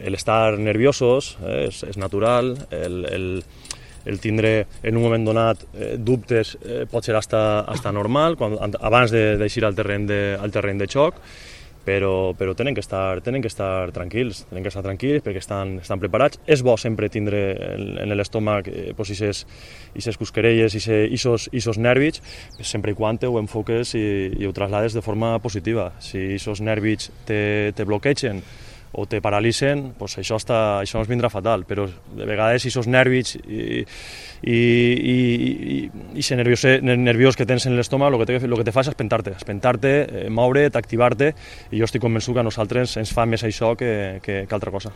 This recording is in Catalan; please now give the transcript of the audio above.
El estar nerviosos és natural, el tindre en un moment donat dubtes pot ser hasta normal abans d'eixir al terreny de xoc, però tenen que estar tranquils, perquè estan preparats. És bo sempre tindre en l'estómac aquestes cosquerelles i aquests nervis, sempre i quan ho enfoques i ho traslades de forma positiva. Si aquests nervis te bloquegen o te paralitzen, doncs això ens vindrà fatal, però de vegades aquests nervis i aquest nerviós que tens en l'estómac el que te fa és espentar-te, moure't, activar-te, i jo estic convençut que a nosaltres ens fa més això que altra cosa.